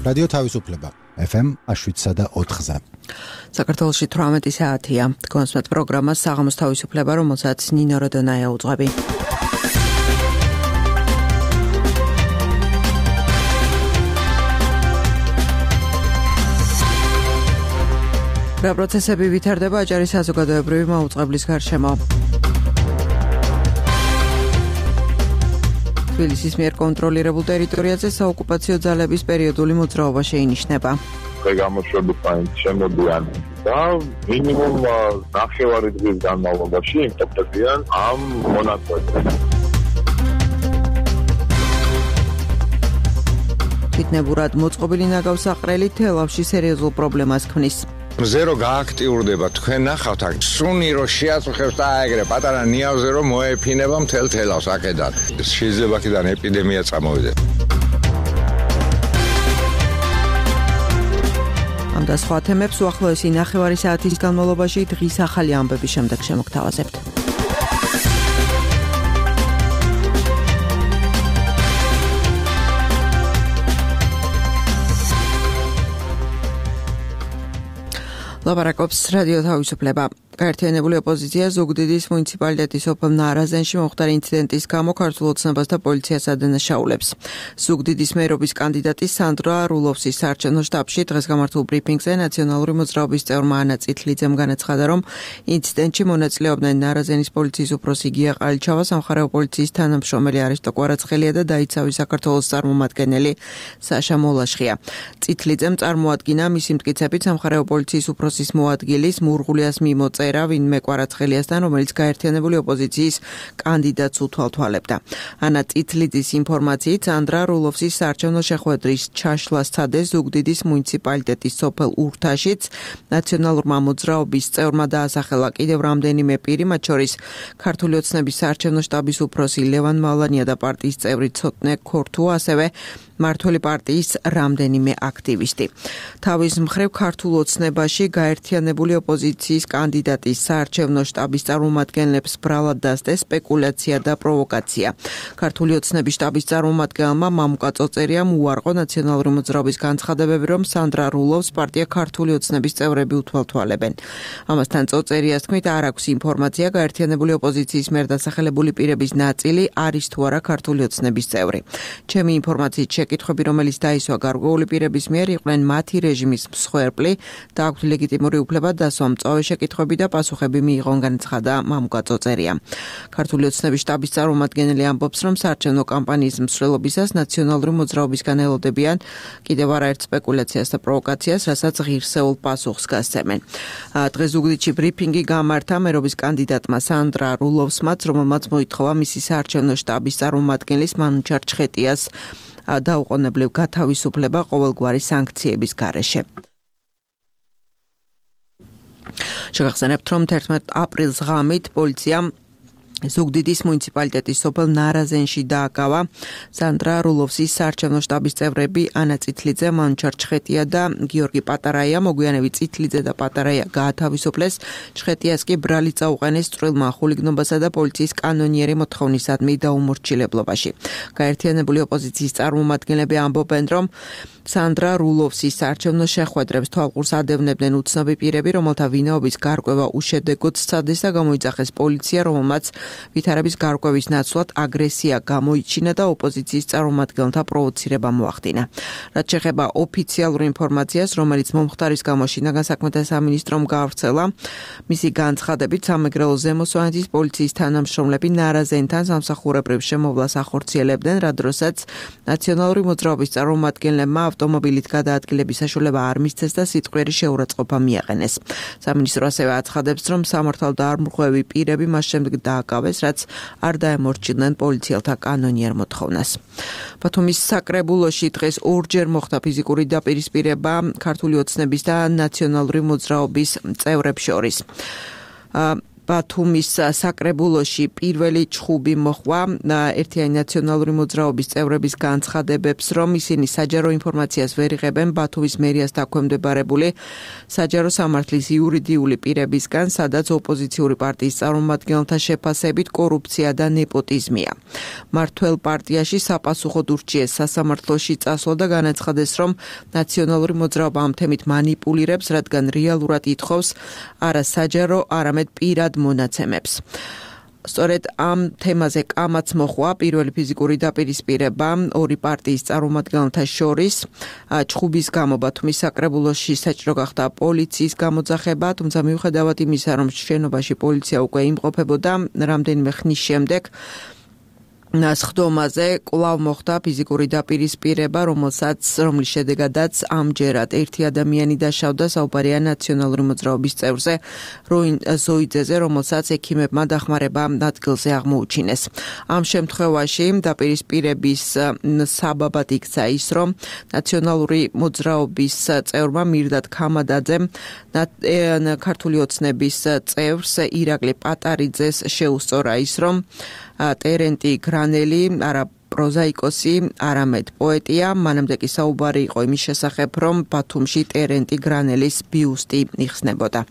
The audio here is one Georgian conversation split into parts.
რადიო თავისუფლება FM 7.4-ზე. საქართველოში 18 საათია. კონსმეთ პროგრამას საღამოს თავისუფლება, რომელსაც ნინო როდონაია უძღვები. რა პროცესები ვითარდება აჭარის საზოგადოებრივი მაუწყებლის გარშემო. თბილისის მიერ კონტროლირებულ ტერიტორიაზე საოკუპაციო ძალების პერიოდული მოძრაობა შეინიშნება. გამოშვების შემოდიან და მინიმუმ 9 დღის განმავლობაში იმყოფებიან ამ მონაკვეთზე. თვითნებურად მოწყობილი ნაგავსაყრელი თელავში სერიოზულ პრობლემას ქმნის. მზე რო გააქტიურდება, თქვენ ნახავთ აქ სუნი რო შეაწუხებს და აეგრე პატარა ნიავზე რო მოეფინება მთელ თელავს აქედან. შეიძლება აქედან ეპიდემია წამოვიდეს. ამ და სხვა თემებს უახლოესი 9 საათის განმავლობაში დღის ახალი ამბების შემდეგ შემოგთავაზებთ. ლაპარაკობს რადიო თავისუფლება. გაერთიანებული ოპოზიცია ზუგდიდის მუნიციპალიტეტის ოფელ ნარაზენში მომხდარი ინციდენტის გამო ქართულ ოცნებას და პოლიციას ადანაშაულებს. ზუგდიდის მერობის კანდიდატი სანდრა რულოვსის საარჩევნო შტაბში დღეს გამართულ ბრიფინგზე ნაციონალური მოძრაობის წევრმა ანა წითლიძემ განაცხადა, რომ ინციდენტში მონაწილეობდნენ ნარაზენის პოლიციის უფროსი გია ყალიჩავა, სამხარეო პოლიციის თანამშრომელი არისტო კვარაცხელია და დაიცავი საქართველოს წარმომადგენელი საშა მოლაშხია. წითლიძემ წარმოადგინა მისი მტკიცებით სამხარეო პოლიციის უფროსის მოადგილის მურღულიას მიმოწერა ვინმე კვარაცხელიასთან, რომელიც გაერთიანებული ოპოზიციის კანდიდატს უთვალთვალებდა. ანა წითლიძის ინფორმაციით სანდრა რულოვსის საარჩევნო შეხვედრის ჩაშლა სცადეს ზუგდიდის მუნიციპალიტეტის სოფელ ურთაშიც. ნაციონალურმა მოძრაობის წევრმა დაასახელა კიდევ რამდენიმე პირი, მათ შორის ქართული ოცნების საარჩევნო შტაბის უფროსი ლევან მალანია და პარტიის წევრი ცოტნე ქორთუა, ასევე მართველი პარტიის რამდენიმე აქტივისტი. თავის მხრივ ქართულ ოცნებაში გაერთიანებული ოპოზიციის კანდიდატის საარჩევნო შტაბის წარმომადგენლებს ბრალად დასდეს სპეკულაცია და პროვოკაცია. ქართული ოცნების შტაბის წარმომადგენელმა მამუკა წოწერიამ უარყო ნაციონალური მოძრაობის განცხადებები, რომ სანდრა რულოვს პარტია ქართული ოცნების წევრები უთვალთვალებენ. ამასთან წოწერიას თქმით, არ აქვს ინფორმაცია გაერთიანებული ოპოზიციის მიერ დასახელებული პირების ნაწილი არის თუ არა ქართული ოცნების წევრი. ჩემი ინფორმაციით შეკითხვები, რომელიც დაისვა გარკვეული პირების მიერ, იყვნენ მათი რეჟიმის მსხვერპლი და აქვთ ლეგიტიმური უფლება დასვა მწვავე შეკითხვები და პასუხები მიიღონ, განაცხადა მამუკა წოწერია. ქართული ოცნების შტაბის წარმომადგენელი ამბობს, რომ საარჩევნო კამპანიის მსვლელობისას ნაციონალური მოძრაობისგან ელოდებიან კიდევ არაერთ სპეკულაციას და პროვოკაციას, რასაც ღირსეულ პასუხს გასცემენ. დღეს ზუგდიდში ბრიფინგი გამართა მერობის კანდიდატმა სანდრა რულოვსმაც, რომელმაც მოითხოვა მისი საარჩევნო შტაბის წარმომადგენლის მანუჩარ ჩხეტიას დაუყოვნებლივ გათავისუფლება ყოველგვარი სანქციების გარეშე. შეგახსენებთ, რომ 11 აპრილს ღამით პოლიციამ ზუგდიდის მუნიციპალიტეტის სოფელ ნარაზენში დააკავა სანდრა რულოვსის საარჩევნო შტაბის წევრები ანა წითლიძე, მანუჩარ ჩხეტია და გიორგი პატარაია. მოგვიანებით წითლიძე და პატარაია გაათავისუფლეს. ჩხეტიას კი ბრალი წაუყენეს წვრილმა ხულიგნობასა და პოლიციის კანონიერი მოთხოვნისადმი დაუმორჩილებლობაში. გაერთიანებული ოპოზიციის წარმომადგენლები ამბობენ, რომ სანდრა რულოვსის საარჩევნო შეხვედრებს თვალყურს ადევნებდნენ უცნობი პირები, რომელთა ვინაობის გარკვევა უშედეგოდ სცადეს და გამოიძახეს პოლიცია, რომელმაც ვითარების გარკვევის ნაცვლად აგრესია გამოიჩინა და ოპოზიციის წარმომადგენელთა პროვოცირება მოახდინა. რაც შეეხება ოფიციალურ ინფორმაციას, რომელიც მომხდარის გამო შინაგან საქმეთა სამინისტრომ გაავრცელა, მისი განცხადებით სამეგრელო ზემო სვანეთის პოლიციის თანამშრომლები ნარაზენთან სამსახურებრივ შემოვლას ახორციელებდნენ, რა დროსაც ნაციონალური მოძრაობის წარმომადგენლებმა ავტომობილით გადაადგილების საშუალება არ მისცეს და სიტყვიერი შეურაცხყოფა მიაყენეს. სამინისტრო ასევე აცხადებს, რომ სამართალდამორღვევი პირები მას შემდეგ დააკავეს, რაც არ დაემორჩილნენ პოლიციელთა კანონიერ მოთხოვნას. ბათუმის საკრებულოში დღეს ორჯერ მოხდა ფიზიკური დაპირისპირება ქართული ოცნების და ნაციონალური მოძრაობის წევრებს შორის. ბათუმის საკრებულოში პირველი ჩხუბი მოხვა ერთიანი ნაციონალური მოძრაობის წევრების განცხადებებს, რომ ისინი საჯარო ინფორმაციას ვერ იღებენ ბათუმის მერიას დაქვემდებარებული საჯარო სამართლის იურიდიული პირებისგან, სადაც ოპოზიციური პარტიის წარმომადგენელთა შეფასებით კორუფცია და ნეპოტიზმია. მართველ პარტიაში საპასუხოდ ურჩიეს სასამართლოში წასვლა და განაცხადეს, რომ ნაციონალური მოძრაობა ამ თემით მანიპულირებს, რადგან რეალურად ითხოვს არა საჯარო, არამედ პირად მონაცემებს. სწორედ ამ თემაზე კამაც მოხვა პირველი ფიზიკური დაპირისპირება ორი პარტიის წარმომადგენელთა შორის. ჩხუბის გამო ბათუმის საკრებულოში საჭირო გახდა პოლიციის გამოძახება, თუმცა მიუხედავად იმისა, რომ შენობაში პოლიცია უკვე იმყოფებოდა, რამდენიმე ხნის შემდეგ სხდომაზე კვლავ მოხდა ფიზიკური დაპირისპირება, რომლის შედეგადაც ამჯერად ერთი ადამიანი დაშავდა, საუბარია ნაციონალური მოძრაობის წევრზე ზოიძეზე, რომელსაც ექიმებმა დახმარება ადგილზე აღმოუჩინეს. ამ შემთხვევაში დაპირისპირების საბაბად იქცა ის, რომ ნაციონალური მოძრაობის წევრმა მირდად ქამადაძემ ქართული ოცნების წევრს ირაკლი პატარიძეს შეუსწორა ის, რომ ტერენტი გრანელი არა პროზაიკოსი, არამედ პოეტია. მანამდე კი საუბარი იყო იმის შესახებ, რომ ბათუმში ტერენტი გრანელის ბიუსტი იხსნებოდა.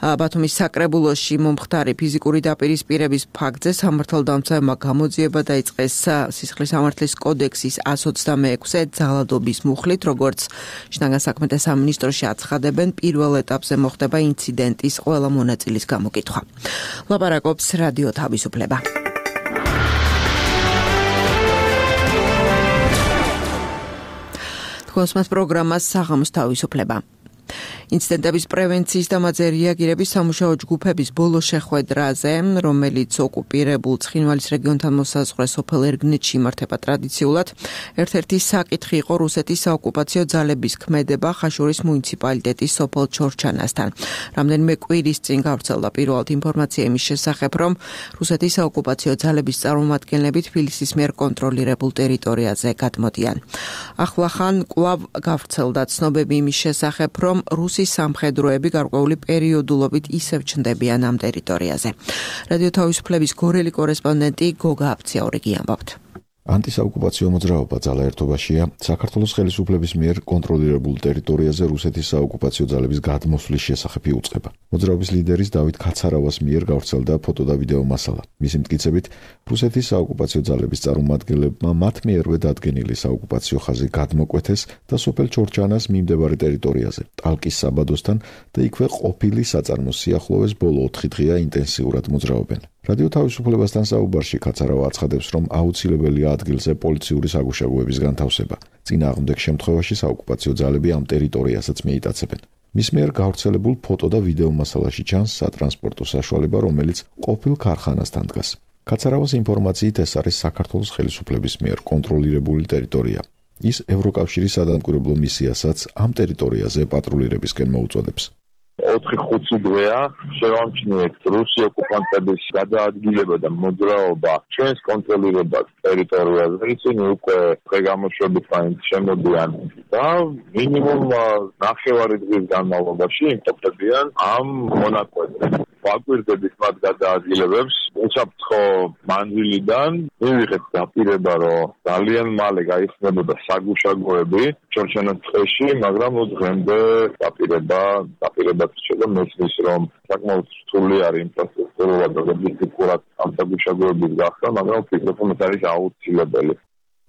ბათუმის საკრებულოში მომხდარი ფიზიკური დაპირისპირების ფაქტზე სამართალდამცავმა გამოძიება დაიწყეს სისხლის სამართლის კოდექსის 126-ე ძალადობის მუხლით, როგორც შინაგან საქმეთა სამინისტროში აცხადებენ, პირველ ეტაპზე მოხდება ინციდენტის ყველა მონაწილის გამოკითხვა. ლაპარაკობს რადიო თავისუფლება. Kosmos პროგრამას საღამოს თავისუფლება. ინციდენტების პრევენციის და მათზე რეაგირების სამუშაო ჯგუფების ბოლო შეხვედრაზე, რომელიც ოკუპირებულ ცხინვალის რეგიონთან მოსაზღვრე სოფელ ერგნეთში იმართება ტრადიციულად, ერთ-ერთი საკითხი იყო რუსეთის საოკუპაციო ძალების ქმედება ხაშურის მუნიციპალიტეტის სოფელ ჩორჩანასთან. რამდენიმე კვირის წინ გავრცელდა პირველად ინფორმაცია იმის შესახებ, რომ რუსეთის საოკუპაციო ძალების წარმომადგენლები თბილისის მიერ კონტროლირებულ ტერიტორიაზე გადმოდიან. ახლახან კვლავ გავრცელდა ცნობები იმის შესახებ, რომ რუსი სამხედროები გარკვეული პერიოდულობით ისევ ჩნდებიან ამ ტერიტორიაზე. რადიო თავისუფლების გორელი კორესპონდენტი გოგა აფციაურიგი ამბობთ. ანტისაოკუპაციო მოძრაობა ძალა ერთობაშია საქართველოს ხელისუფლების მიერ კონტროლირებულ ტერიტორიაზე რუსეთის საოკუპაციო ძალების გადმოსვლის შესახებ იუწყება. მოძრაობის ლიდერის დავით ქაცარავას მიერ გავრცელდა ფოტო და ვიდეო მასალა. მისი მტკიცებით, რუსეთის საოკუპაციო ძალების წარმომადგენლებმა მათ მიერვე დადგენილი საოკუპაციო ხაზი გადმოკვეთეს და სოფელ ჩორჩანას მიმდებარე ტერიტორიაზე, ტალკის საბადოსთან და იქვე ყოფილი საწარმოს სიახლოვეს ბოლო 4 დღეა ინტენსიურად მოძრაობენ. რადიო თავისუფლებასთან საუბარში ქაცარავა აცხადებს, რომ აუცილებელია ადგილზე პოლიციური საგუშაგოების განთავსება. წინააღმდეგ შემთხვევაში საოკუპაციო ძალები ამ ტერიტორიასაც მიიტაცებენ. მის მიერ გავრცელებულ ფოტო და ვიდეო მასალაში ჩანს სატრანსპორტო საშუალება, რომელიც ყოფილ ქარხანასთან დგას. ქაცარავას ინფორმაციით ეს არის საქართველოს ხელისუფლების მიერ კონტროლირებული ტერიტორია. ის ევროკავშირის სადამკვირვებლო მისიასაც ამ ტერიტორიაზე პატრულირებისკენ მოუწოდებს. 4-5 დღეა შევამჩნიეთ რუსი ოკუპანტების გადაადგილება და მოძრაობა ჩვენს კონტროლირებად ტერიტორიაზე. ისინი უკვე დღე-გამოშვებით მაინც შემოდიან და მინიმუმ 9 დღის განმავლობაში იმყოფებიან ამ მონაკვეთზე. ვაკვირდებით მათ გადაადგილებებს. უსაფრთხო მანძილიდან მივიღეთ დაპირება, რომ ძალიან მალე გაიხსნებოდა საგუშაგოები ჩორჩანას ტყეში, მაგრამ დღემდე დაპირება შედა მესმის, რომ საკმაოდ რთული არის ინფრასტრუქტურულად და ლოგისტიკურად ამ საგუშაგოების გახსნა, მაგრამ ვფიქრობ, რომ ეს არის აუცილებელი.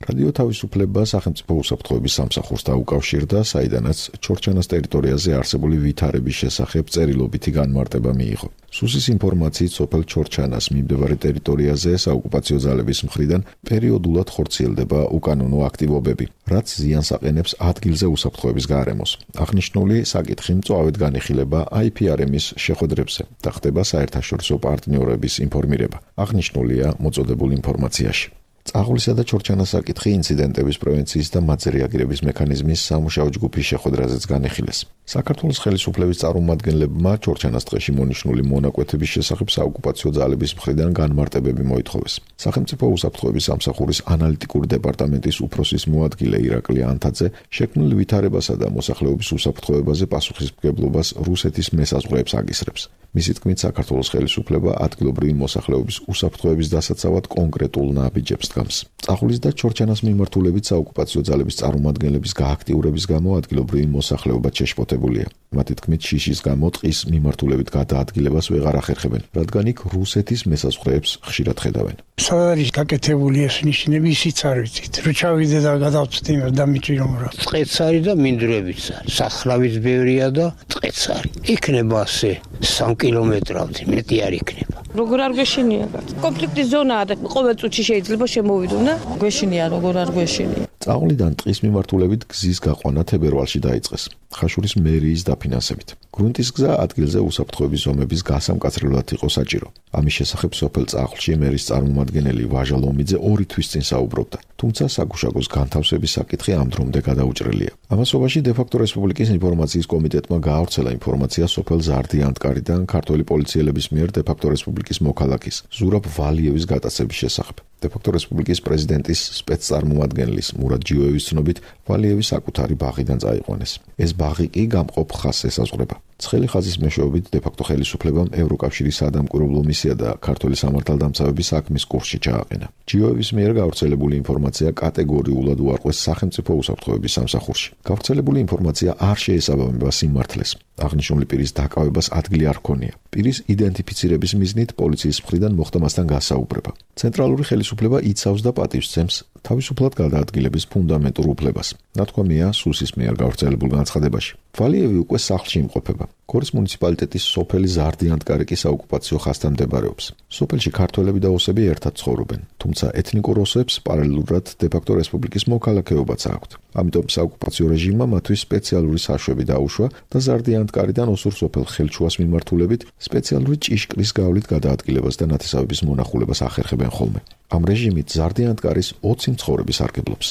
რადიო თავისუფლება სახელმწიფო უსაფრთხოების სამსახურს დაუკავშირდა, საიდანაც ჩორჩანას ტერიტორიაზე არსებული ვითარების შესახებ წერილობითი განმარტება მიიღო. სუსის ინფორმაციით სოფელ ჩორჩანას მიმდებარე ტერიტორიაზე საოკუპაციო ძალების მხრიდან პერიოდულად ხორციელდება უკანონო აქტივობები, რაც ზიანს აყენებს ადგილზე უსაფრთხოების გარემოს. აღნიშნული საკითხი მწვავედ განიხილება IPRM-ის შეხვედრებზე და ხდება საერთაშორისო პარტნიორების ინფორმირება. აღნიშნულია მოწოდებულ ინფორმაციაში. წაღვლისა და ჩორჩანას საკითხი ინციდენტების პრევენციის და მათზე რეაგირების მექანიზმის სამუშაო ჯგუფის შეხვედრაზეც განიხილეს. საქართველოს ხელისუფლების წარმომადგენლებმა ჩორჩანას ტყეში მონიშნული მონაკვეთების შესახებ საოკუპაციო ძალების მხრიდან განმარტებები მოითხოვეს. სახელმწიფო უსაფრთხოების სამსახურის ანალიტიკური დეპარტამენტის უფროსის მოადგილე ირაკლი ანთაძე შექმნილ ვითარებასა და მოსახლეობის უსაფრთხოებაზე პასუხისმგებლობას რუსეთის მესაზღვრეებს აკისრებს. მისი თქმით, საქართველოს ხელისუფლება ადგილობრივი მოსახლეობის უსაფრთხოების დასაცავად კონკრეტულ ნაბიჯებს დგამს. წახულის და ჩორჩანას მიმართულებით საოკუპაციო ძალების წარმომადგენლების გააქტიურების გამო ადგილობრივი მოსახლეობა შეშფოთებულია. მათი თქმით, შიშის გამო ტყის მიმართულებით გადაადგილებას ვეღარ ახერხებენ, რადგან იქ რუსეთის მესაზღვრეებს ხშირად ხედავენ. სად არის გაკეთებული ეს ნიშნები, ისიც არ ვიცით. რო ჩავიდე და გადავწვდი იმას და მიჭი რომ რა. ტყეც არის და მინდვრებიც არის. სახრავის ბევრია და ტყეც არის. იქნება ასე 3 კილომეტრავით მეტი არ იქნება. როგორ არ გვეშინია? კონფლიქტის ზონაა და ყოველ წუთში შეიძლება შემოვიდούν და გვეშინია, როგორ არ გვეშინია. წაყლიდან ტყის მიმართულებით გზის გაყვანა თებერვალში დაიწყეს. ხაშურის მერიის დაფინანსებით. გრუნტის გზა ადგილზე უსაფრთხოების ზომების გასამკაცრებლად იყო საჭირო. ამის შესახებ სოფელ წაყლში მერის წარმომადგენელი ვაჟა ლომიძე 2 თვის წინ საუბრობდა. თუმცა საგუშაგოს განთავსების საკითხი ამ დრომდე გადაუჭრელია. ამასობაში დე-ფაქტო რესპუბლიკის ინფორმაციის კომიტეტმა გაავრცელა ინფორმაცია სოფელ ზარდიანტკარიდან ქართველი პოლიციელების მიერ დე-ფაქტო რესპუბლიკის მოქალაქის ზურაბ ვალიევის გატაცების შესახებ. დე-ფაქტო რესპუბლიკის პრეზიდენტის სპეცწარმომადგენლის მურად ჯიოევის ცნობით, ვალიევის საკუთარი ბაღიდან წაიყვანეს. ეს ბაღი კი გამყოფ ხაზს ესაზღვრება. ცხელი ხაზის მეშვეობით დე-ფაქტო ხელისუფლებამ ევროკავშირის სადამკვირვებლო მისია და ქართველი სამართალდამცავების საქმის კურსში ჩააყენა. ჯიოევის მიერ გავრცელებული ინფორმაცია კატეგორიულად უარყვეს სახელმწიფო უსაფრთხოების სამსახურში. გავრცელებული ინფორმაცია არ შეესაბამება სიმართლეს. აღნიშნული პირის დაკავებას ადგილი არ ჰქონია. პირის იდენტიფიცირების მიზნით პოლიციის მხრიდან მოხდა მასთან გასაუბრება. ცენტრალური ხელისუფლება იცავს და პატივსცემს თავისუფლად გადაადგილების ფუნდამენტურ უფლებას. ნათქვამია სუსის მიერ გავრცელებულ განცხადებაში. ვალიევი უკვე სახლში იმყოფება. გორის მუნიციპალიტეტის სოფელი ზარდიანტკარი კი საოკუპაციო ხაზთან მდებარეობს. სოფელში ქართველები და ოსები ერთად ცხოვრობენ, თუმცა ეთნიკურ ოსებს პარალელურად დე-ფაქტო რესპუბლიკის მოქალაქეობაც აქვთ. ამიტომ საოკუპაციო რეჟიმმა მათთვის სპეციალური საშვები დაუშვა და ზარდიანტკარიდან ოსურ სოფელ ხელჩუას მიმართულებით სპეციალური ჭიშკრის გავლით გადაადგილებას და ნათესავების მონახულებას ახერხებენ ხოლმე. ამ რეჟიმით ზარდიანტკარის 20 მცხოვრები სარგებლობს.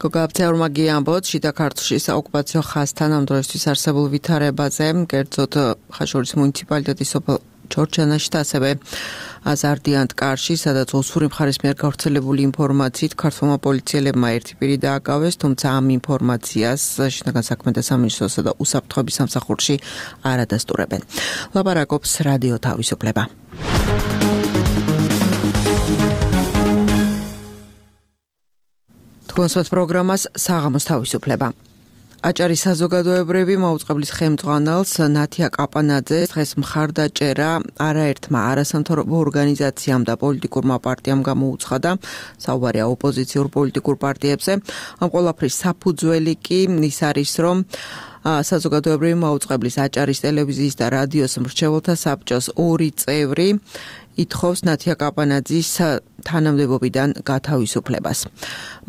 გოგა აბცეურმაგი ამბობს, შიდა ქართლში საოკუპაციო ხაზთან ამ დროისთვის არსებულ ვითარებაზე, კერძოდ ხაშურის მუნიციპალიტეტის სოფელ ჩორჩანაში და ასევე ზარდიანტკარში, სადაც ოსური მხარის მიერ გავრცელებული ინფორმაციით ქართველმა პოლიციელებმა ერთი პირი დააკავეს, თუმცა ამ ინფორმაციას შინაგან საქმეთა სამინისტროსა და უსაფრთხოების სამსახურში არ ადასტურებენ. ლაპარაკობს რადიო თავისუფლება. თქვენსვათ პროგრამას საღამოს თავისუფლება. აჭარის საზოგადოებრივი მაუწყებლის ხელმძღვანელს ნათია კაპანაძეს დღეს მხარდაჭერა არაერთმა არასამთავრობო ორგანიზაციამ და პოლიტიკურმა პარტიამ გამოუცხადა. საუბარია ოპოზიციურ პოლიტიკურ პარტიებზე. ამ ყველაფრის საფუძველი კი ის არის, რომ საზოგადოებრივი მაუწყებლის აჭარის ტელევიზიის და რადიოს მრჩეველთა საბჭოს 2 წევრი ითხოვს ნათია კაპანაძის თანამდებობიდან გათავისუფლებას.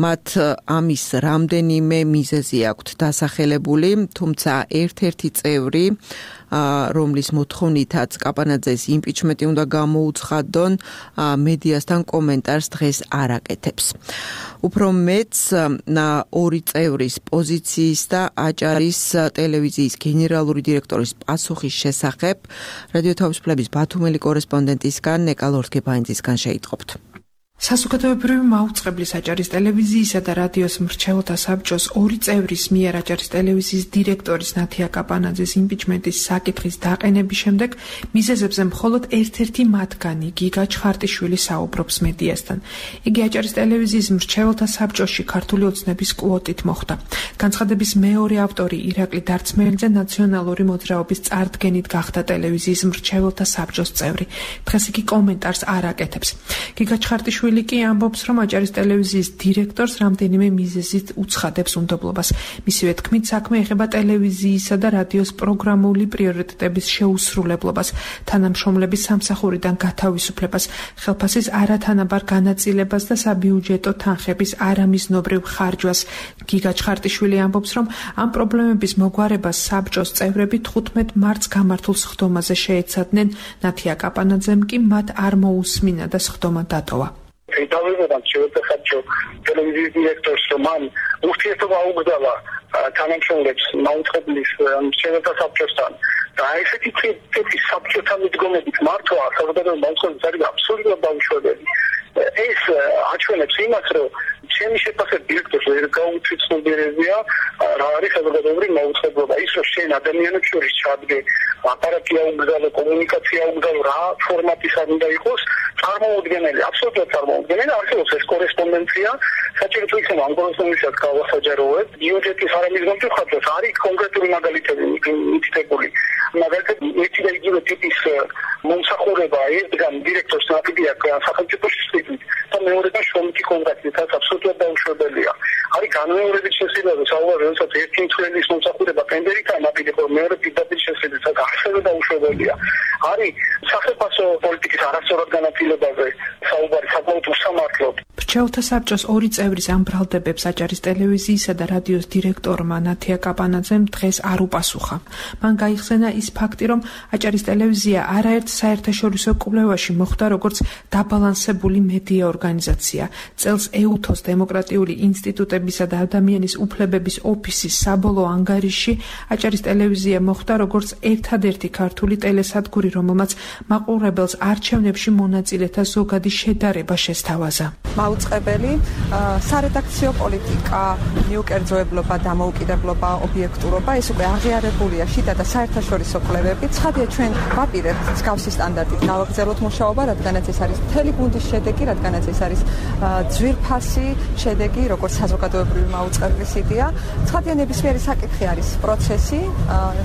მათ ამის რამდენიმე მიზეზი აქვთ დასახელებული, თუმცა ერთ-ერთი წევრი, რომლის მოთხოვნითაც კაპანაძეს იმპიჩმენტი უნდა გამოუცხადონ, მედიასთან კომენტარს დღეს არ აკეთებს. უფრო მეც 2 წევრის პოზიციის და აჭარის ტელევიზიის გენერალური დირექტორის პასუხის შესახებ რადიო თავისუფლების ბათუმელი კორესპონდენტისგან ნეკა ლორთგეფაინძისგან შეიტყობთ. საზოგადოებრივი მაუწყებლის აჭარის ტელევიზიისა და რადიოს მრჩეველთა საბჭოს 2 წევრის მიერ აჭარის ტელევიზიის დირექტორის ნათია კაპანაძის იმპიჩმენტის საკითხის დაყენების შემდეგ მიზეზებზე მხოლოდ ერთ-ერთი მათგანი გიგა ჩხარტიშვილი საუბრობს მედიასთან. იგი აჭარის ტელევიზიის მრჩეველთა საბჭოში ქართული ოცნების კვოტით მოხვდა. განცხადების მეორე ავტორი ირაკლი დარწმელიძე ნაციონალური მოძრაობის წარდგენით გახდა ტელევიზიის მრჩეველთა საბჭოს წევრი. დღეს იგი კომენტარს არ აკეთებს. გიგა ჩხარტიშვილი კი ამბობს, რომ აჭარის ტელევიზიის დირექტორს რამდენიმე მიზეზით უცხადებს უნდობლობას. მისივე თქმით, საქმე ეხება ტელევიზიისა და რადიოს პროგრამული პრიორიტეტების შეუსრულებლობას, თანამშრომლების სამსახურიდან გათავისუფლებას, ხელფასის არათანაბარ განაწილებას და საბიუჯეტო თანხების არამიზნობრივ ხარჯვას. გიგა ჩხარტიშვილი ამბობს, რომ ამ პრობლემების მოგვარებას საბჭოს წევრები 15 მარტს გამართულ სხდომაზე შეეცადნენ. ნათია კაპანაძემ კი მათ არ მოუსმინა და სხდომა დატოვა. დავებოდან შევეცახებჭო ტელევიზიის დირექტორს, რომ მან ურთიერთობა აუგზავნა თანამშრომლებს მაუწყებლის მრჩეველთა საბჭოსთან და ესეთი ტიპის საბჭოთან მიდგომებით მართვა საზოგადოების მაუწყებლის არის აბსოლუტურად დაუშვებელი. ეს აჩვენებს იმას, რომ ჩემი შეფასებით დირექტორს ვერ გაუცნობიერებია რა არის საზოგადოებრივი მაუწყებლობა. ის რომ შენ ადამიანებს შორის ჩადგე, აპარატი აუგზავნე, კომუნიკაცია აუგზავნე, რა ფორმატის არ უნდა იყოს, წარმოუდგენელი, აბსოლუტურად წარმოუდგენელი. არსებობს ეს კორესპონდენცია, საჭირო თუ იქნება ამ კორესპონდენციას გავასაჯაროებ. ბიუჯეტის არამიზნული ხარჯს არის კონკრეტული მაგალითები მითითებული. მაგალითად, ერთი და იგივე ტიპის მომსახურება ერთგან დირექტორს ნაკიდი აქვს სახელმწიფოში და მეორედან შრომითი კონტრაქტით, რაც აბსოლუტურად დაუშვებელია. არის განმეორებით შესაძლებელი საუბარი, როდესაც ერთი მცველის მომსახურება ტენდერითაა ნაკიდი, ხოლო მეორე პირდაპირ შესაძლებელი, რაც ასევე დაუშვებელია. არის სახელმწიფო პოლიტიკის არასწორად განაწილებაზე საუბარი საკმაოდ უსამართლოდ. მრჩეველთა საბჭოს ორი წევრის ამ ბრალდებებს აჭარის ტელევიზიისა და რადიოს დირექტორმა ნათია კაპანაძემ დღეს არ უპასუხა. მან გაიხსენა ის ფაქტი, რომ აჭარის ტელევიზია არაერთ საერთაშორისო კვლევაში მოხვდა როგორც დაბალანსებული მედია ორგანიზაცია. წელს ეუთოს დემოკრატიული ინსტიტუტებისა და ადამიანის უფლებების ოფისის საბოლოო ანგარიში აჭარის ტელევიზია მოხვდა როგორც ერთადერთი ქართული ტელესადგური, რომელმაც მაყურებელს არჩევნებში მონაწილეთა ზოგადი შედარება შესთავაზა. მაუწყებელი, სარედაქციო პოლიტიკა, მიუკერძოებლობა, დამოუკიდებლობა, ობიექტურობა, ეს უკვე აღიარებულია შიდა და საერთაშორისო კვლევები. ცხადია, ჩვენ ვაპირებთ მსგავსი სტანდარტით გავაგრძელოთ მუშაობა, რადგანაც ეს არის მთელი გუნდის შედეგი, რადგანაც ეს არის ძვირფასი შედეგი, როგორც საზოგადოებრივი მაუწყებლის იდეა. ცხადია, ნებისმიერი საკითხი არის პროცესი,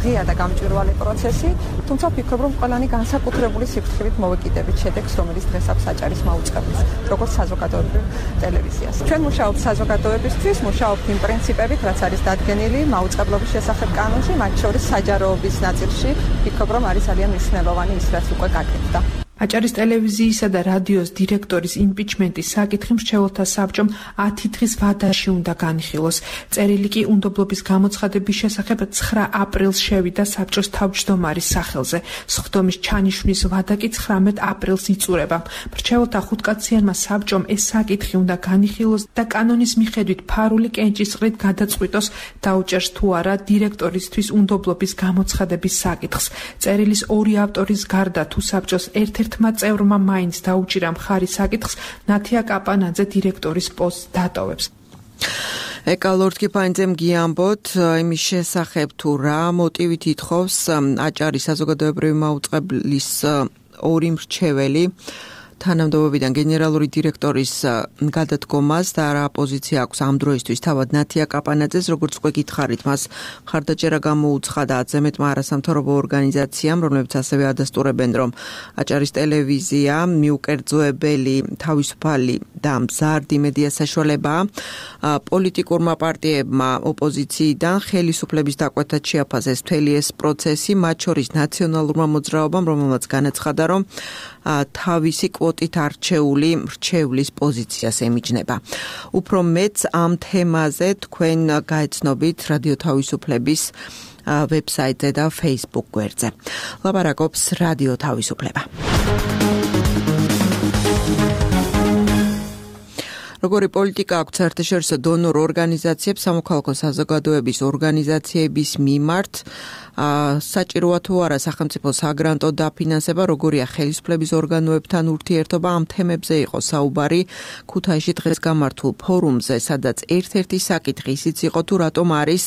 ღია და გამჭვირვალე პროცესი, თუმცა ვფიქრობ, რომ ყველანი განსაკუთრებული სიფრთხილით მოვეკიდებით შედეგს, რომელიც დღეს აქვს აჭარის მაუწყებლის, როგორც საზოგადოებრივ ტელევიზიას. ჩვენ მუშაობთ საზოგადოებისთვის, მუშაობთ იმ პრინციპებით, რაც არის დადგენილი მაუწყებლობის შესახებ კანონში, მათ შორის საჯაროობის ნაწილში, ვფიქრობ, რომ არის ძალიან მნიშვნელოვანი ის, რაც უკვე გაკეთდა. აჭარის ტელევიზიისა და რადიოს დირექტორის იმპიჩმენტის საკითხი მრჩეველთა საბჭომ 10 დღის ვადაში უნდა განიხილოს. წერილი კი უნდობლობის გამოცხადების შესახებ 9 აპრილს შევიდა საბჭოს თავმჯდომარის სახელზე. სხდომის ჩანიშვნის ვადა კი 19 აპრილს იწურება. მრჩეველთა ხუთკაციანმა საბჭომ ეს საკითხი უნდა განიხილოს და კანონის მიხედვით ფარული კენჭისყრით გადაწყვიტოს დაუჭერს თუ არა დირექტორისთვის უნდობლობის გამოცხადების საკითხს. წერილის ორი ავტორის გარდა თუ საბჭოს ერთ-ერთმა წევრმა მაინც დაუჭირა მხარი საკითხს, ნათია კაპანაძე დირექტორის პოსტს დატოვებს. ეკალორდ კიფაინძემ გიამბოთ იმის შესახებ თუ რა მოტივით ითხოვს აჭარის საზოგადოებრივი მაუწყებლის ორი მრჩეველი თანამდებობიდან გენერალური დირექტორის გადადგომას და რა პოზიცია აქვს ამ დროისთვის თავად ნათია კაპანაძეს, როგორც უკვე გითხარით, მას მხარდაჭერა გამოუცხადა 10-ზე მეტმა არასამთავრობო ორგანიზაციამ, რომლებიც ასევე ადასტურებენ, რომ აჭარის ტელევიზია მიუკერძოებელი, თავისუფალი და მზარდი მედია საშუალებაა. პოლიტიკურმა პარტიებმა ოპოზიციიდან ხელისუფლების დაკვეთად შეაფასეს მთელი ეს პროცესი, მათ შორის ნაციონალურმა მოძრაობამ, რომელმაც განაცხადა, რომ თავისი კვოტით არჩეული მრჩევლის პოზიციას ემიჯნება. უფრო მეც ამ თემაზე თქვენ გაეცნობით რადიო თავისუფლების ვებსაიტზე და Facebook გვერდზე. ლაპარაკობს რადიო თავისუფლება. როგორი პოლიტიკა აქვს საერთაშორისო დონორ ორგანიზაციებს, სამოქალაქო საზოგადოების ორგანიზაციების მიმართ, საჭიროა თუ არა სახელმწიფო საგრანტო დაფინანსება, როგორია ხელისუფლების ორგანოებთან ურთიერთობა, ამ თემებზე იყო საუბარი ქუთაისში დღეს გამართულ ფორუმზე, სადაც ერთ-ერთი საკითხი ისიც იყო თუ რატომ არის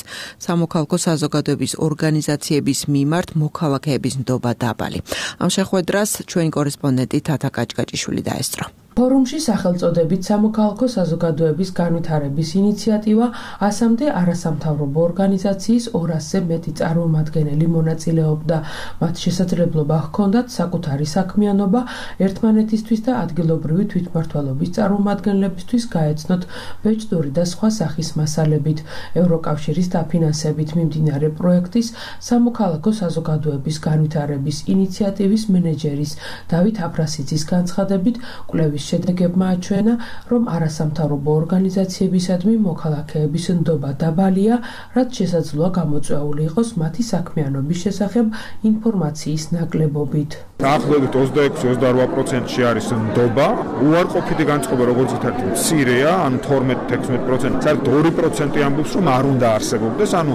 სამოქალაქო საზოგადოების ორგანიზაციების მიმართ მოქალაქეების ნდობა დაბალი. ამ შეხვედრას ჩვენი კორესპონდენტი თათა კაჭკაჭიშვილი დაესწრო. ფორუმში სახელწოდებით სამოქალაქო საზოგადოების განვითარების ინიციატივა 100-მდე არასამთავრობო ორგანიზაციის 200-ზე მეტი წარმომადგენელი მონაწილეობდა. მათ შესაძლებლობა ჰქონდათ საკუთარი საქმიანობა ერთმანეთისთვის და ადგილობრივი თვითმმართველობის წარმომადგენლებისთვის გაეცნოთ ბეჭდური და სხვა სახის მასალებით. ევროკავშირის დაფინანსებით მიმდინარე პროექტის სამოქალაქო საზოგადოების განვითარების ინიციატივის მენეჯერის დავით აფრასიძის განცხადებით კვლევის შედეგებმა აჩვენა, რომ არასამთავრობო ორგანიზაციებისადმი მოქალაქეების ნდობა დაბალია, რაც შესაძლოა გამოწვეული იყოს მათი საქმიანობის შესახებ ინფორმაციის ნაკლებობით. დაახლოებით 26-28%-ში არის ნდობა. უარყოფითი განწყობა როგორც ითარგმნა მცირეა, ანუ 12-16%. საერთოდ 2% ამბობს, რომ არ უნდა არსებობდეს, ანუ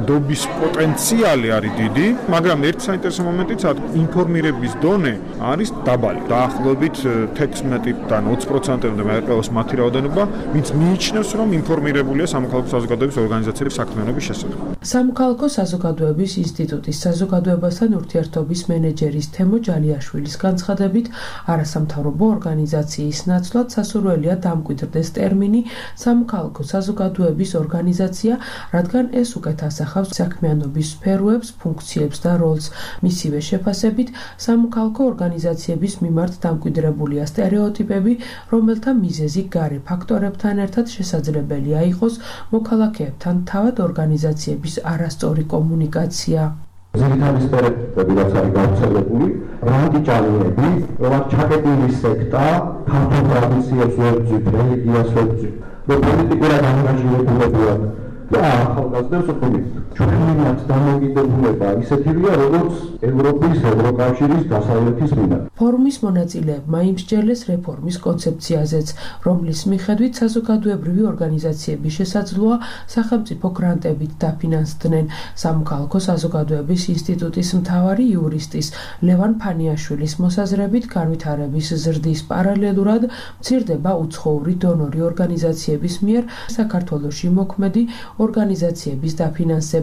ნდობის პოტენციალი არის დიდი, მაგრამ ერთი საინტერესო მომენტიც ინფორმირების დონე არის დაბალი. დაახლოებით 16-დან 20%-მდე მეყროს მათი რაოდენობა, ვინც მიიჩნევს, რომ ინფორმირებულია სამოქალაქო საზოგადოების ორგანიზაციების საქმიანობის შესახებ. სამოქალაქო საზოგადოების ინსტიტუტის საზოგადოებასთან ურთიერთობის მენეჯერის თემო ჯალიაშვილის განცხადებით, არასამთავრობო ორგანიზაციის ნაცვლად სასურველია დამკვიდრდეს ტერმინი სამოქალაქო საზოგადოების ორგანიზაცია, რადგან ეს უკეთ ასახავს საქმიანობის სფეროებს, ფუნქციებს და როლს. მისივე შეფასებით, სამოქალაქო ორგანიზაციების მიმართ დამკვიდრებულია სტერეოტიპები, რომელთა მიზეზი გარე ფაქტორებთან ერთად შესაძლებელია იყოს მოქალაქეებთან თავად ორგანიზაციების არასწორი კომუნიკაცია. ძირითადი სტერეოტიპები, რაც არის გავრცელებული, რადიკალები, რომ ჩაკეტილი სექტა, ქართულ ტრადიციებს ვებძვით, რელიგიას ვებძვით, რომ პოლიტიკურად ანგაჟირებულებია და ახალგაზრდებს ვფიქრობთ. ჩვენი დამოკიდებულება ისეთივეა, როგორც ევროპის, ევროკავშირის დასავლეთის მხრიდან. ფორუმის მონაწილეებმა იმსჯელეს რეფორმის კონცეფციაზეც, რომლის მიხედვით საზოგადოებრივი ორგანიზაციების შესაძლოა სახელმწიფო გრანტებით დაფინანსდნენ. სამოქალაქო საზოგადოების ინსტიტუტის მთავარი იურისტის ლევან ფანიაშვილის მოსაზრებით, განვითარების ზრდის პარალელურად მცირდება უცხოური დონორი ორგანიზაციების მიერ საქართველოში მოქმედი ორგანიზაციების დაფინანსება.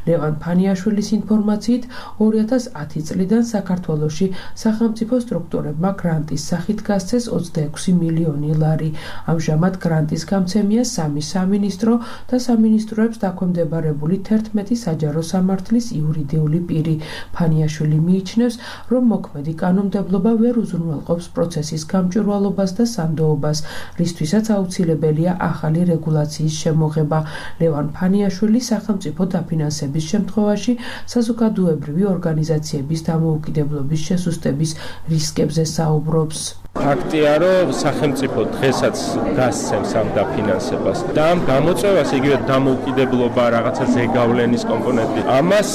ლევან ფანიაშვილის ინფორმაციით 2010 წლიდან საქართველოში სახელმწიფო სტრუქტურებმა გრანტის სახით გასცეს 26 მილიონი ლარი. ამჟამად გრანტის გამცემია 3 სამინისტრო და სამინისტროებს დაქვემდებარებული 11 საჯარო სამართლის იურიდიული პირი. ფანიაშვილი მიიჩნევს, რომ მოქმედი კანონმდებლობა ვერ უზრუნველყოფს პროცესის გამჭვირვალობას და სანდოობას, რისთვისაც აუცილებელია ახალი რეგულაციის შემოღება. ლევან ფანიაშვილი სახელმწიფო დაფინანსების შემთხვევაში საზოგადოებრივი ორგანიზაციების დამოუკიდებლობის შესუსტების რისკებზე საუბრობს. ფაქტია, რომ სახელმწიფო დღესაც გასცემს ამ დაფინანსებას და ამ გამოწვევას იგივე დამოუკიდებლობა რაღაცა ზეგავლენის კომპონენტი. ამას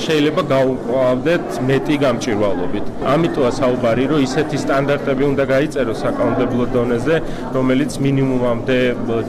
შეიძლება გავუყვავდეთ მეტი გამჭვირვალობით. ამიტომა საუბარი, რომ ისეთი სტანდარტები უნდა გაიწეროს საკანონმდებლო დონეზე, რომელიც მინიმუმამდე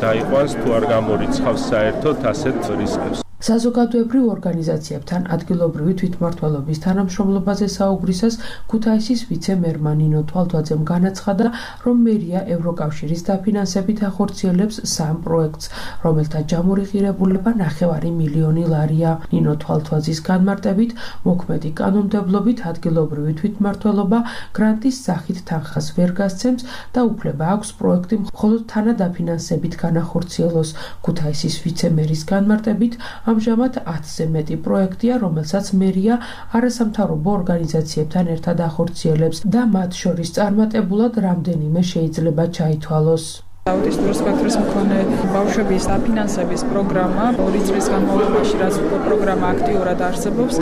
დაიყვანს თუ არ გამორიცხავს საერთოდ ასეთ რისკებს. საზოგადოებრივ ორგანიზაციებთან ადგილობრივი თვითმმართველობის თანამშრომლობაზე საუბრისას ქუთაისის ვიცე-მერმა ნინო თვალთვაძემ განაცხადა, რომ მერია ევროკავშირის დაფინანსებით ახორციელებს 3 პროექტს, რომელთა ჯამური ღირებულება 9 მილიონი ლარია. ნინო თვალთვაძის განმარტებით, მოქმედი კანონმდებლობით ადგილობრივი თვითმმართველობა გრანტის სახით თანხას ვერ გასცემს და უფლება აქვს პროექტი მხოლოდ თანადაფინანსებით განახორციელოს. ქუთაისის ვიცე-მერის განმარტებით, ამჟამად 10-ზე მეტი პროექტია, რომელსაც მერია არასამთავრობო ორგანიზაციებთან ერთად ახორციელებს და მათ შორის წარმატებულად რამდენიმე შეიძლება ჩაითვალოს. აუტისტურ სპექტრის მქონე ბავშვების დაფინანსების პროგრამა 2 წლის განმავლობაში, რაც პროგრამა აქტიურად არსებობს,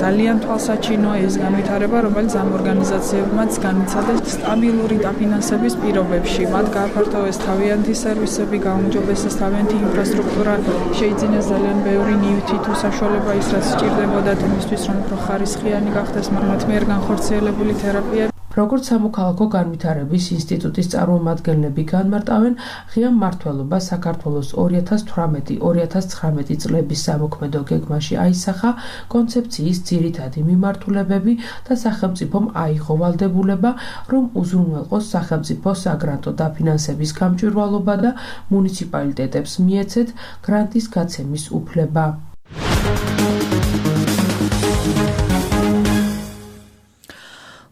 ძალიან თვალსაჩინოა ეს განვითარება, რომელიც ამ ორგანიზაციებმაც განიცადეს სტაბილური დაფინანსების პირობებში. მათ გააფართოვეს თავიანთი სერვისები, გაუმჯობესეს თავიანთი ინფრასტრუქტურა, შეიძინეს ძალიან ბევრი ნივთი თუ საშუალება ის, რაც სჭირდებოდათ იმისთვის, რომ უფრო ხარისხიანი გახდეს მათ მიერ განხორციელებული თერაპია. როგორც სამოქალაქო განვითარების ინსტიტუტის წარმომადგენლები განმარტავენ, ღია მმართველობა საქართველოს 2018-2019 წლების სამოქმედო გეგმაში აისახა, კონცეფციის ძირითადი მიმართულებები და სახელმწიფომ აიღო ვალდებულება, რომ უზრუნველყოს სახელმწიფო საგრანტო დაფინანსების გამჭვირვალობა და მუნიციპალიტეტებს მიეცეთ გრანტის გაცემის უფლება.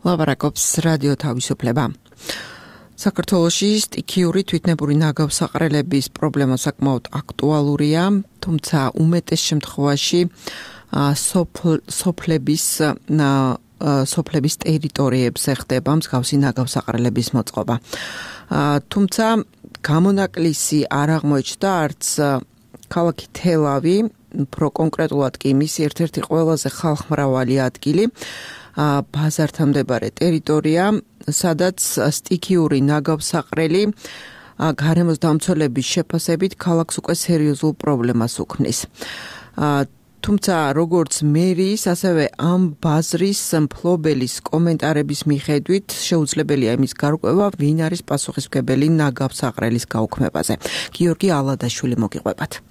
ლაპარაკობს რადიო თავისუფლება. საქართველოში სტიქიური თვითნებური ნაგავსაყრელების პრობლემა საკმაოდ აქტუალურია, თუმცა უმეტეს შემთხვევაში სოფლების ტერიტორიებზე ხდება მსგავსი ნაგავსაყრელების მოწყობა. თუმცა გამონაკლისი არ აღმოჩნდა არც ქალაქი თელავი, უფრო კონკრეტულად კი მისი ერთ-ერთი ყველაზე ხალხმრავალი ადგილი, ბაზართან მდებარე ტერიტორია, სადაც სტიქიური ნაგავსაყრელი გარემოს დამცველების შეფასებით ქალაქს უკვე სერიოზულ პრობლემას უქმნის. თუმცა როგორც მერის, ასევე ამ ბაზრის მფლობელის კომენტარების მიხედვით შეუძლებელია იმის გარკვევა, ვინ არის პასუხისმგებელი ნაგავსაყრელის გაუქმებაზე. გიორგი ალადაშვილი მოგიყვებათ.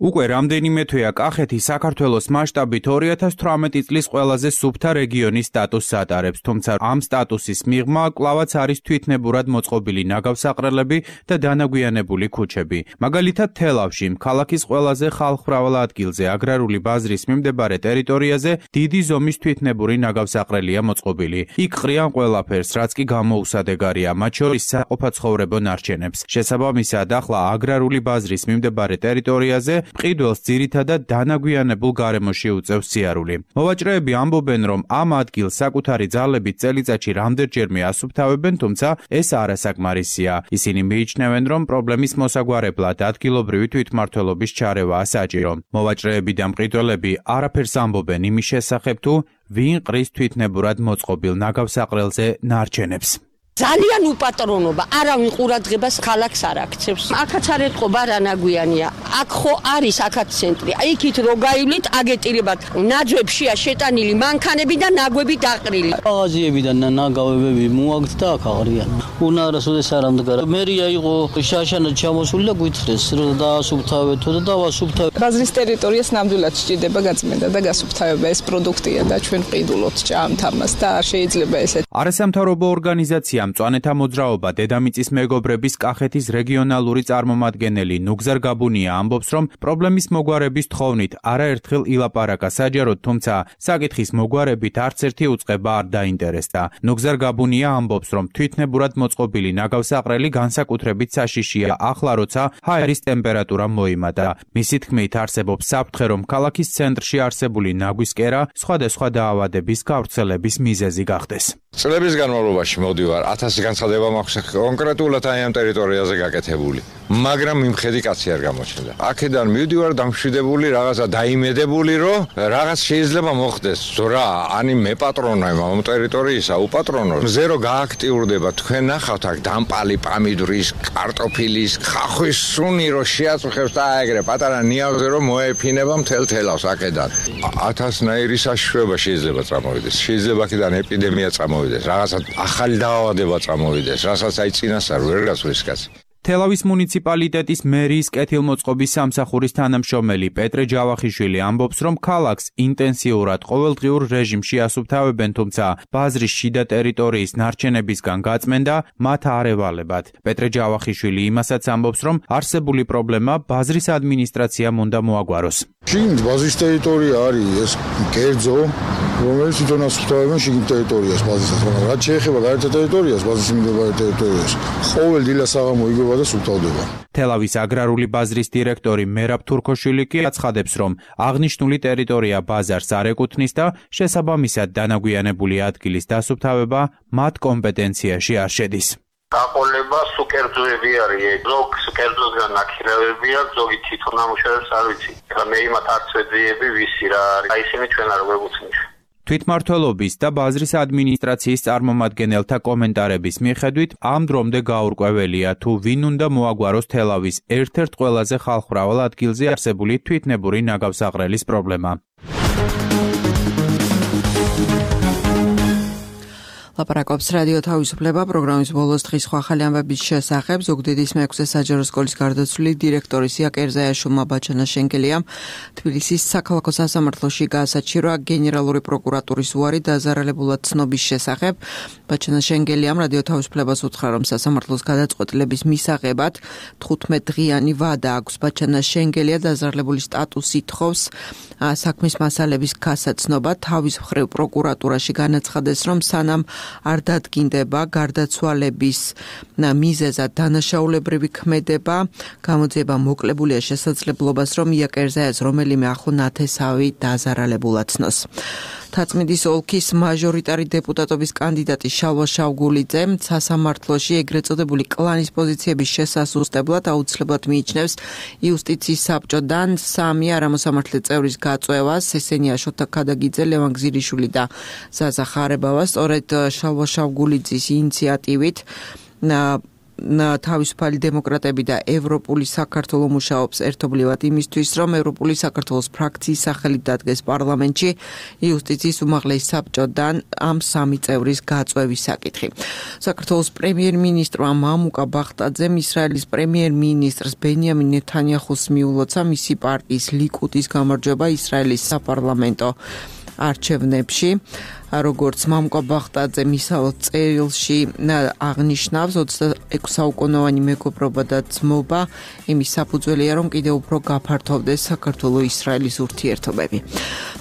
უკვე რამდენიმე თვეა კახეთი საქართველოს მასშტაბით 2018 წლის ყველაზე სუფთა რეგიონის სტატუსს ატარებს, თუმცა ამ სტატუსის მიღმა კვლავაც არის თვითნებურად მოწყობილი ნაგავსაყრელები და დანაგვიანებული ქუჩები. მაგალითად, თელავში, ქალაქის ყველაზე ხალხმრავალ ადგილზე, აგრარული ბაზრის მიმდებარე ტერიტორიაზე დიდი ზომის თვითნებური ნაგავსაყრელია მოწყობილი. იქ ყრიან ყველაფერს, რაც კი გამოუსადეგარია, მათ შორის საყოფაცხოვრებო ნარჩენებს. შესაბამისად, ახლა აგრარული ბაზრის მიმდებარე ტერიტორიაზე მყიდველს ძირითადად დანაგვიანებულ გარემოში უწევს სიარული. მოვაჭრეები ამბობენ, რომ ამ ადგილს საკუთარი ძალებით წელიწადში რამდენჯერმე ასუფთავებენ, თუმცა ეს არასაკმარისია. ისინი მიიჩნევენ, რომ პრობლემის მოსაგვარებლად ადგილობრივი თვითმმართველობის ჩარევაა საჭირო. მოვაჭრეები და მყიდველები არაფერს ამბობენ იმის შესახებ, თუ ვინ ყრის თვითნებურად მოწყობილ ნაგავსაყრელზე ნარჩენებს. ძალიან უპატრონობა, არავინ ყურადღებას ქალაქს არ აქცევს. აქაც არ ეთყობა რანაგვიანია. აქ ხო არის აქაც ცენტრი. იქით რო გაივლით, აგეტირებათ ნაძვებშია შეტანილი მანქანები და ნაგვები დაყრილი. ყაზიები და ნაგავებები მოაგდ და აქ აღრიან. უნარასოდეს არ ამდგარა. მერია იყო შაშანად ჩამოსული და გვითხრეს, რომ დაასუფთავეთო და დავასუფთავეთ. ბაზრის ტერიტორიას ნამდვილად სჭირდება გაწმენდა და გასუფთავება. ეს პროდუქტია და ჩვენ ყიდულობთ ჭამთ ამას და არ შეიძლება ესეთ. არასამთავრობო ორგანიზაცია მწვანეთა მოძრაობა დედამიწის მეგობრების კახეთის რეგიონალური წარმომადგენელი ნუგზარ გაბუნია ამბობს, რომ პრობლემის მოგვარების თხოვნით არაერთხელ ილაპარაკა საჯაროდ, თუმცა საკითხის მოგვარებით არც ერთი უწყება არ დაინტერესდა. ნუგზარ გაბუნია ამბობს, რომ თვითნებურად მოწყობილი ნაგავსაყრელი განსაკუთრებით საშიშია ახლა, როცა ჰაერის ტემპერატურა მოიმატა. მისი თქმით, არსებობს საფრთხე, რომ ქალაქის ცენტრში არსებული ნაგვის კერა სხვადასხვა დაავადების გავრცელების მიზეზი გახდეს. წლების განმავლობაში მოდივარ 1000 განცხადება მაქვს კონკრეტულად აი ამ ტერიტორიაზე გაკეთებული, მაგრამ იმხედი კაცი არ გამოჩნდა. აქედან მივდივარ დამშვიდებული, რაღაცა დაიმედებული, რომ რაღაც შეიძლება მოხდეს. რა, ანი მე პატრონავ ამ ტერიტორიისა, უპატრონო. ზერო გააქტიურდება. თქვენ ნახავთ აქ დამპალი პამიდურის, კარტოფილის, ხახვის სუნი რო შეაწუხებს და აეგრე პატარა ნიავზე რომ მოეფინება მთელ თელავს აქედან. 1000-ნაირი საშუალება შეიძლება წამოვიდეს. შეიძლება აქედან ეპიდემია წამოვიდეს. რაღაცა ახალი დაავადება წამოვიდეს, რასაც აი წინასწარ ვერ გასვლის კაცი. თელავის მუნიციპალიტეტის მერის კეთილმოწყობის სამსახურის თანამშრომელი პეტრე ჯავახიშვილი ამბობს, რომ ქალაქს ინტენსიურად ყოველდღიურ რეჟიმში ასუფთავებენ, თუმცა ბაზრის შიდა ტერიტორიის ნარჩენებისგან გაწმენდა მათ არ ევალებათ. პეტრე ჯავახიშვილი იმასაც ამბობს, რომ არსებული პრობლემა ბაზრის ადმინისტრაციამ უნდა მოაგვაროს. შიგნით ბაზრის ტერიტორია არის ეს კერძო, რომელიც თვითონ ასუფთავებენ შიგნით ტერიტორიას ბაზისას, მაგრამ რაც შეეხება გაერთო ტერიტორიას, ბაზის მიმდებარე ტერიტორიას, ყოველ დილას საღამო იგება და სუფთავდება. თელავის აგრარული ბაზრის დირექტორი მერაბ თურქოშვილი კი აცხადებს, რომ აღნიშნული ტერიტორია ბაზარს არ ეკუთვნის და შესაბამისად დანაგვიანებული ადგილის დასუფთავება მათ კომპეტენციაში არ შედის. გაყოლება სუკერძოები არის, ზოგ სუკერძოსგან ნაკირავებია, ზოგი თვითონ ამუშავებს არ ვიცი. ეხლა მე იმათ არც ვეძიები ვისი რა არის. აი ისინი ჩვენ არ გვეგუცნის. თვითმმართველობის და ბაზრის ადმინისტრაციის წარმომადგენელთა კომენტარების მიხედვით ამ დრომდე გაურკვეველია, თუ ვინ უნდა მოაგვაროს თელავის ერთ-ერთ ყველაზე ხალხმრავალ ადგილზე არსებული თვითნებური ნაგავსაყრელის პრობლემა. ლაპარაკობს რადიო თავისუფლება პროგრამის ბოლოს დღის ახალი ამბების შესახებ. ზუგდიდის მე-6 საჯარო სკოლის გარდაცვლილი დირექტორის ია კერზაიაშვილმა ბაჩანაშენგელიამ თბილისის საქალაქო სასამართლოში გაასაჩირვა გენერალური პროკურატურის უარი დაზარალებულად ცნობის შესახებ. ბაჩანაშენგელიამ რადიო თავისუფლებას უთხრა, რომ სასამართლოს გადაწყვეტილების მისაღებად 15 დღიანი ვადა აქვს. ბაჩანაშენგელია დაზარალებული სტატუსი თხოვს საქმის მასალების გასაცნობა. თავის მხრივ პროკურატურაში განაცხადეს, რომ სანამ არ დადგინდება გარდაცვალების მიზეზად დანაშაულებრივი ქმედება, გამოძიება მოკლებულია შესაძლებლობას, რომ ია კერზაიას რომელიმე ახლო ნათესავი დაზარალებულად ცნოს. თაწმინდის ოლქის მაჟორიტარი დეპუტატობის კანდიდატი შალვა შავგულიძე სასამართლოში ეგრეთ წოდებული კლანის პოზიციების შესასუსტებლად აუცილებლად მიიჩნევს იუსტიციის საბჭოდან 3 არამოსამართლე წევრის გაწვევას, ესენია შოთა ქადაგიძე, ლევან გზირიშვილი და ზაზა ხარებავა. სწორედ შალვა შავგულიძის ინიციატივით თავისუფალი დემოკრატები და ევროპული საქართველო მუშაობს ერთობლივად იმისთვის, რომ ევროპული საქართველოს ფრაქციის სახელით დადგეს პარლამენტში იუსტიციის უმაღლეს საბჭოდან ამ 3 წევრის გაწვევის საკითხი. საქართველოს პრემიერ-მინისტრმა მამუკა ბახტაძემ ისრაელის პრემიერ-მინისტრს ბენიამინ ნეთანიაჰუს მიულოცა მისი პარტიის ლიკუდის გამარჯვება ისრაელის საპარლამენტო არჩევნებში. როგორც მამუკა ბახტაძე მისავალ წერილში აღნიშნავს, 26 საუკუნოვანი მეგობრობა და ძმობა იმის საფუძველია, რომ კიდევ უფრო გაფართოვდეს საქართველო-ისრაელის ურთიერთობები.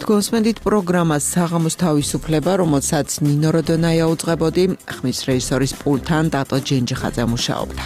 თქვენსმენდით პროგრამას საღამოს თავისუფლება, რომელსაც ნინო როდონაია უძღვებოდი, ხმის რეჟისორის პულტთან დატო ჯენჯიხაძე მუშაობდა.